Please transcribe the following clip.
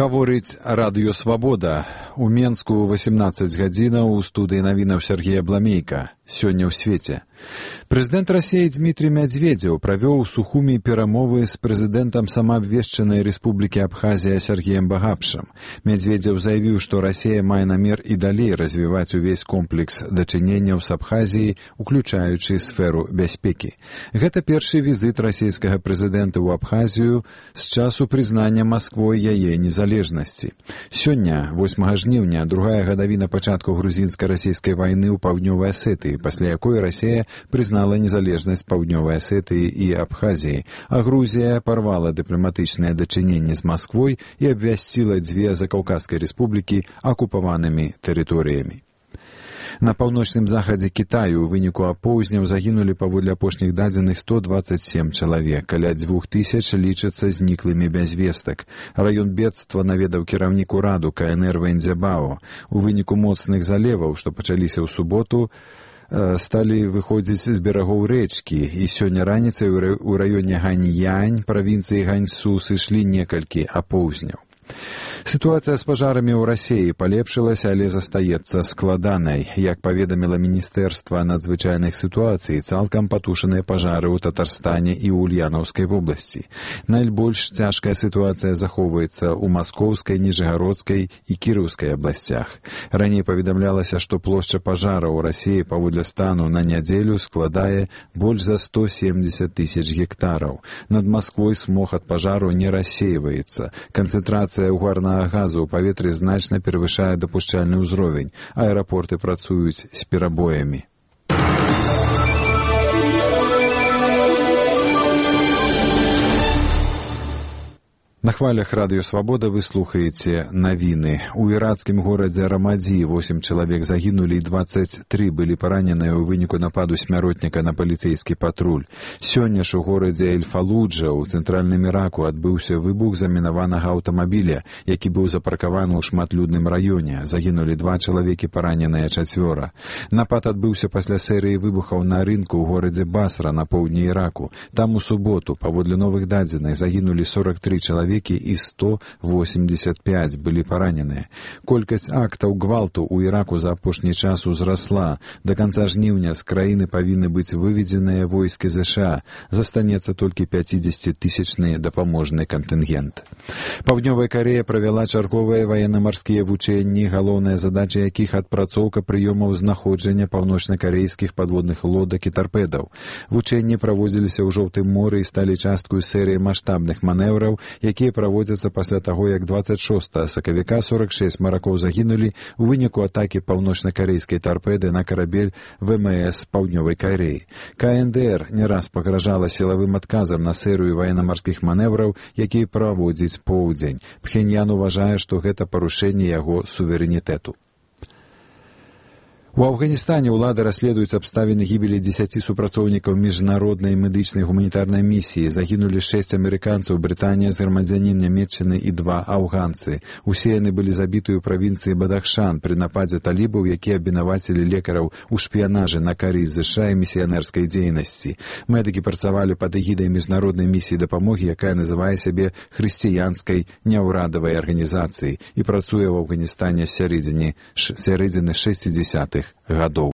Гаворыць Радыё Свабода. У Менску 18 гадзінаў у студыі навінаў Сергея Бламейка. Сёння ў свеце. Прэзідэнт Расіі Дмітрий Медведзеў правёў у Сухуми перамовы з прэзідэнтам самаабвешчанай Рэспублікі Абхазія Сергеем Багапшам. Медведзеў заявіў, што Расія мае намер і далей развіваць увесь комплекс дачыненняў з Абхазіяй, уключаючы сферу бяспекі. Гэта першы візіт расійскага прэзідэнта ў Абхазію з часу прызнання Масквой яе незалежнасці. Сёння, 8 жніўня, другая гадавіна пачатку грузінска-расійскай вайны ў Паўднёвай Асетыі, пасля якой Расія прызнала незалежнасць Паўднёвай Асетыі і Абхазіі, а Грузія парвала дыпламатычныя дачыненні з Масквой і абвясціла дзве закаўказскай рэспублікі акупаванымі тэрыторыямі. На паўночным захадзе Кітаю ў выніку апоўзняў загінулі паводле апошніх дадзеных 127 чалавек, каля 2000 лічацца зніклымі без вестак. Раён бедства наведаў кіраўнік ураду КНР Вэньцзябао. У выніку моцных залеваў, што пачаліся ў суботу, сталі выходзіць з берагоў рэчкі, і сёння раніцай у раёне Ганьянь, правінцыі Ганьсу, сышлі некалькі апоўзняў. Сітуацыя з пажарамі ў Расіі палепшылася, але застаецца складанай. Як паведаміла Міністэрства надзвычайных сітуацый, цалкам патушаныя пажары ў Татарстане і ў Ульянаўскай вобласці. Найбольш цяжкая сітуацыя захоўваецца ў Маскоўскай, Ніжыгародскай і Кіраўскай абласцях. Раней паведамлялася, што плошча пажара ў Расіі паводле стану на нядзелю складае больш за 170 000 гектараў. Над Масквой смог ад пажару не рассейваецца. Канцэнтрацыя угарнага газу ў паветры значна перавышае дапушчальны ўзровень. Аэрапорты працуюць з перабоямі. На хвалях Радыё Свабода вы слухаеце навіны. У іракскім горадзе Рамадзі 8 чалавек загінулі і 23 былі параненыя ў выніку нападу смяротніка на паліцэйскі патруль. Сёння ж у горадзе Эль-Фалуджа ў цэнтральным Іраку адбыўся выбух замінаванага аўтамабіля, які быў запаркаваны ў шматлюдным раёне. Загінулі 2 чалавекі, параненыя 4. Напад адбыўся пасля серыі выбухаў на рынку ў горадзе Басра на поўдні Іраку. Там у суботу, паводле новых дадзеных, загінулі 43 чалавекі і 185 былі параненыя. Колькасць актаў гвалту ў Іраку за апошні час узрасла. Да канца жніўня з краіны павінны быць выведзеныя войскі ЗША. Застанецца толькі 50-тысячны дапаможны кантынгент. Паўднёвая Карэя правяла чарговыя ваенна-марскія вучэнні, галоўная задача якіх адпрацоўка прыёмаў знаходжання паўночна-карэйскіх падводных лодак і тарпедаў. Вучэнні праводзіліся ў Жоўтым моры і сталі часткаю серыі маштабных манеўраў, якія праводзяцца пасля таго, як 26 сакавіка 46 маракоў загінулі ў выніку атакі паўночна-карэйскай тарпеды на карабель ВМС Паўднёвай Карэі. КНДР не раз пагражала сілавым адказам на серыю ваенна-марскіх манеўраў, якія праводзіць поўдзень. Пхеньян уважае, што гэта парушэнне яго суверэнітэту. У Афганістане ўлады расследуюць абставіны гібелі 10 супрацоўнікаў міжнароднай медычнай гуманітарнай місіі. Загінулі 6 амерыканцаў, Брытанія, грамадзянін Нямецчыны і 2 афганцы. Усе яны былі забіты ў правінцыі Бадахшан пры нападзе талібаў, якія абвінавацілі лекараў у шпіянажы на карысць ЗША і місіянерскай дзейнасці. Медыкі працавалі пад эгідай міжнароднай місіі дапамогі, якая называе сябе хрысціянскай няўрадавай арганізацыяй і працуе ў Афганістане з сярэдзіны 60-х гадоў.